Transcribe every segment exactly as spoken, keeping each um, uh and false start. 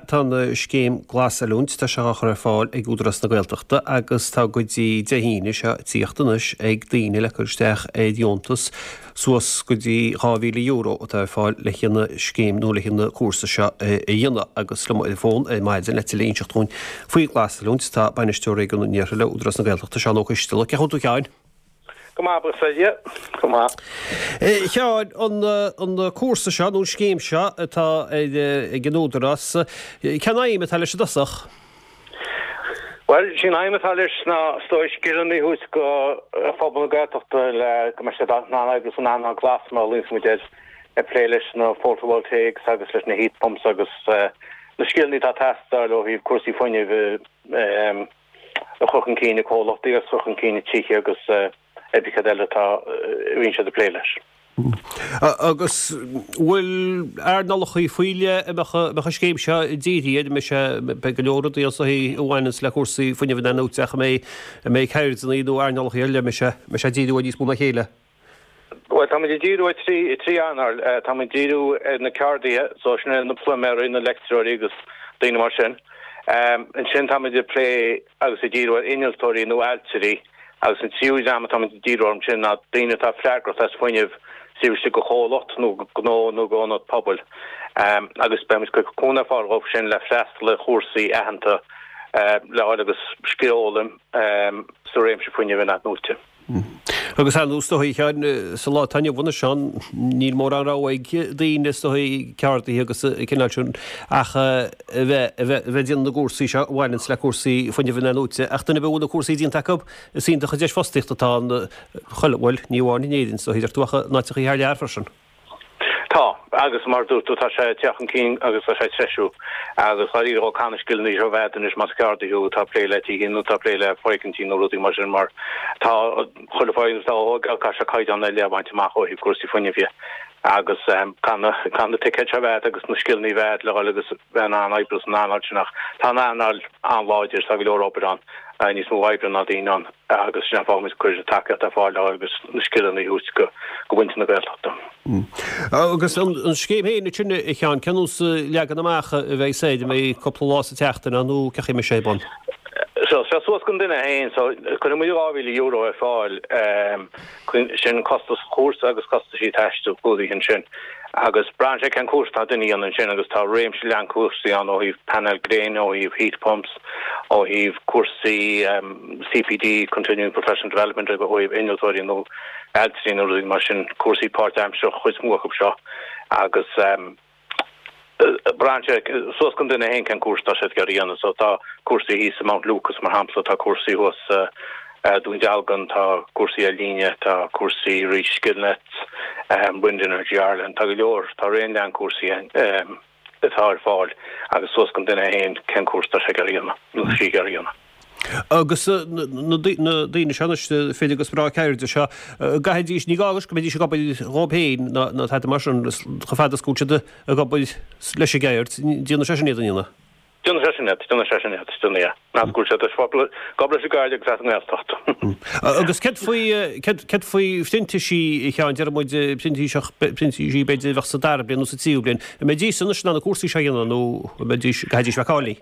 Tá an scéim Glasoiliúint, tá sé á chur ar fáil ag Údarás na Gaeltachta agus tá go dtí Dé hAoine seo tíocht anois ag daoine le cur isteach ar dheontas suas go dtí dhá mhíle euro atá ar fáil le haghaidh an scéim nó le haghaidh an cúrsa seo a dhéanamh agus liom ar an bhfón ar maidin le tuilleadh a inseacht dúinn faoi Ghlasoiliúint tá Bainisteoir Réigiún an Iarthair le Údarás na Gaeltachta, Seán Ó Coisteala. Cén chaoi a bhfuil tú a Sheáin? Go maith, buíochas le Dia. Go maith. A Sheáin, an, an cúrsa seo, nó an scéim seo atá ag an Údarás, cén aidhm atá leis i dtosach? Bhuel, sí an aidhm atá leis ná is dóigh scileanna a thabhairt go phobal na Gaeltachta le go mbeidh siad in ann oibriú san earnáil glas mar a ghlaonns muid air, ag plé leis na photovoltaics agus leis na heat pumps agus na scileanna atá ag teastáil ó thaobh cúrsaí fuinnimh a chur chun cinn i comhlachtaí agus a chur chun cinn i tithe agus ar bith cad eile atá a bhíonn siad ag plé leis. Agus bhfuil earnálacha faoi leith a mbeadh an scéim seo dírithe air? An mbeidh sé, beidh go leor rudaí ann a bhaineanns le cúrsaí fuinnimh in-athnuaite ach an mbeidh, an mbeidh ceirdeanna nó earnálacha ar leith a mbeidh sé, mbeidh sé ag díriú ar níos mó ná a chéile? Bhuel, táimid ag díriú ar trí, trí earnáil. Táimid ag díriú ar na ceardaithe, so sin na pluiméirí, na leictreoirí agus daoine mar sin. Ansin táimid ag plé agus ag díriú ar innealtóirí nó ailtirí agus an tríú dream atáimid ag díriú orthu sin ná daoine atá freagrach as fuinneamh taobh istigh de chomhlacht nó gnó nó ionad pobail agus beimid ag cur cúnamh ar fáil dhóibh sin le freastal ar chúrsaí aitheanta le fháil agus scil a fhoghlaim sa réimse fuinnimh in-athnuaite. Agus ar ndóigh, is dóigh, a Sheáin, sa lá atá inniu anois ann, níl mórán rogha ag daoine, is dóigh, ceardaithe agus an cineál sin, ach a bheith, a bheith, a bheith ag déanamh na gcúrsaí seo a bhaineanns le cúrsaí fuinnimh in-athnuaite. Ach duine ar bith a bhfuil na cúrsaí déanta acu, is iontach an deis fostaíochta atá ann, chuile, bhuel, ní amháin in Éirinn, is dóigh, deir tú, ach in áiteachaí thar lear freisin. Tá, agus mar a dúirt tú, tá sé ag teacht chun cinn agus tá sé ag treisiú. Agus dáiríre dhó caithfidh na scileanna seo a bheith agat anois más ceardaí thú atá ag plé le tithe nó atá ag plé le foirgintí nó rudaí mar sin mar tá chuile foirgneamh atá á thógáil caithfidh sé caighdeán ar leith a bhaint amach ó thaobh cúrsaí fuinnimh dhe. Agus caithfidh na caithfidh na ticéid seo a bheith agat agus na scileanna a bheith agat le dhul agus bheith in ann oibriú san earnáil sin ach tá an earnáil an-láidir, tá go leor obair ann, níos mó oibre ná daoine ann agus sin an fáth go bhfuil muid ag cur tacaíocht ar fáil le dhul agus na scileanna a thabhairt go go mhuintir na Gaeltachta. Agus an scéim féin ansin, a Sheáin, cén nós leagan amach a bheidh air, an mbeidh cúpla lá sa tseachtain ann nó cén chaoi a mbeidh sé ar bun? So, so suas don duine féin, so cuirfidh muid dhá mhíle euro ar fáil, sin costas chúrsa agus costaisí taistil clúdaithe ansin. Agus braitheann sé cén cúrsa atá duine a dhéanamh ansin agus tá réimse leathan cúrsaí ann ó thaobh painéil gréine, ó thaobh heat pumps, ó thaobh cúrsaí CPD, Continuing Professional Development, ó thaobh innealtóirí nó ailtirí nó rudaí mar sin, cúrsaí páirtaimseartha an chuid is mó acu seo agus braitheann sé suas don duine féin cén cúrsa atá siad ag iarraidh a dhéanamh. So tá cúrsaí thíos i Mount Lucas mar shampla, tá cúrsaí thuas i Dún Dealgan, tá cúrsaí ar líne, tá cúrsaí thríd Skillnet, Wind Energy Ireland, tá go leor, tá raon leathan cúrsaí atá ar fáil agus suas don duine féin cén cúrsa atá sé ag iarraidh a dhéanamh nó sí ag iarraidh a dhéanamh. Agus na daoine seo anois, fir agus mná ceirde seo, an gcaithfidís, ní gá anois go mbeidís ag obair dhóibh féin ná tada mar sin, chomh fada is go bhfuil siad ag obair leis an gceird, déanfaidh sé sin iad, an ndéanfaidh? Déanfaidh sé sin iad, déanfaidh sé sin iad, déanfaidh, yeah. Meas go bhfuil siad ag obair leis an gceird agus as an nGaeltacht. Agus céard faoi, céard faoi phrintísí, a Sheáin, deir muid printíseach, printísí b'fhéidir a bheadh sa dara bliain nó sa tríú bliain, an mbeidís anois in ann na cúrsaí seo a dhéanamh nó an mbeidís, gcaithfidís bheith cáilithe?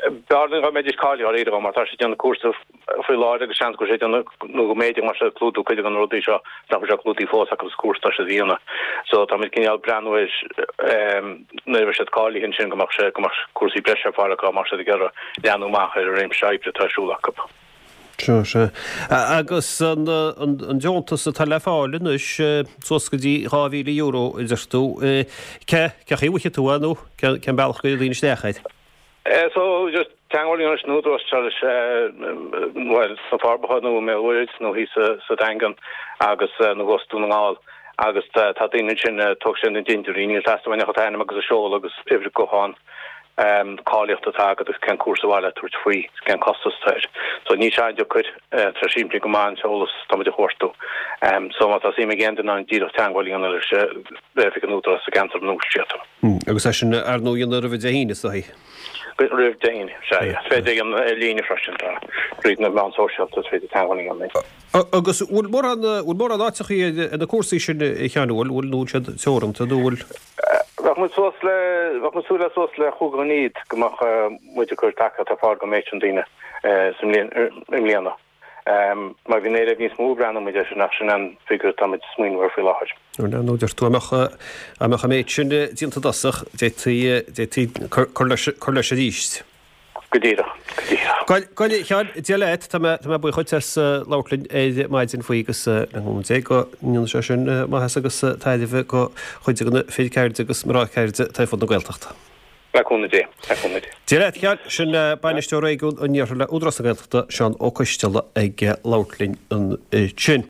B'fhearr dá mbeidís cáilithe dáiríre mar tá siad ag déanamh cúrsa faoi láthair agus seans go bhfuil siad ag déanamh nó go mb'fhéidir go mbeadh siad ag clúdú cuid de na rudaí seo nach bhfuil sé clúdaithe fós acu sa chúrsa atá siad a dhéanamh. So táimid cineál breathnú ar nuair a bheidh siad cáilithe ansin go mbeadh sé go mbeadh cúrsaí breise ar fáil acu dá mbeadh siad ag iarraidh leathnú amach ar an réimse oibre atá ar siúl acu. Sea, sea. Agus an deontas atá le fáil anois suas go dtí dhá mhíle euro a deir tú, cé cén chaoi a bhfaighidh tú é nó cén bealach go gcuirfidh daoine isteach air? So, just teagmháil a dhéanamh leis an Údarás leis, bhuel, sna Forbacha nó i mBéal Mhuirthead nó thíos sa Daingean agus nó thuas Dún na nGall agus tá daoine ansin a tógfaidh siad na dintiúirí, níl teastáil uainn ach an t-ainm agus an seoladh agus uimhir gutháin, cáilíocht atá agat agus cén cúrsa ar mhaith leat tabhairt faoi, cén costas atá air. So níl sé an-deacair, tá sé simplí go maith an t-eolas tá muid a chuartú. So má tá suim ag aon duine ann díreach teagmháil a dhéanamh leis le oifig an Údaráis sa gceantar ina bhfuil siad. Agus é sin ar ndóigh a dhéanamh roimh Dé hAoine, is dóigh. Roimh Dé hAoine, sea. Is féidir a dhéanamh ar líne freisin, tá, tríd na meáin sóisialta is féidir teagmháil a dhéanamh linn. Agus bhfuil mórán, bhfuil mórán áiteachaí ar na cúrsaí sin, a Sheáin, bhfuil, nó bhfuil siad teoranta, nó bhfuil? Bheadh muid suas le, bheadh muid súil le suas le chúig ghníomh go mbeadh muid ag cur tacaíocht ar fáil don méid sin daoine sa mbliain, i mbliana. Má bhíonn éileamh níos mó breathnóidh muid air sin ach sin an figiúr atá muid ag smaoineamh air faoi láthair. Bhuel, ar ndóigh, deir tú, dá mbeadh, dá mbeadh an méid sin déanta i dtosach, d'fhéadfaí, d'fhéadfaí cur leis, cur leis arís. Go díreach, go díreach. Bhuel, a Sheáin, Dia leat, tá mé, tá mé buíoch dhuit as labhairt linn ar maidin faoi agus le cúnamh Dé go ndéanfaidh sé sin maitheas agus tairbhe do chuid de na fir ceirde agus mná ceirde atá ar fud na Gaeltachta. Le cúnamh Dé, le cúnamh Dé. Dia leat, a Sheáin, sin Bainisteoir Réigiún an Iarthair le Údarás na Gaeltachta, Seán Ó Coisteala ag labhairt linn ansin.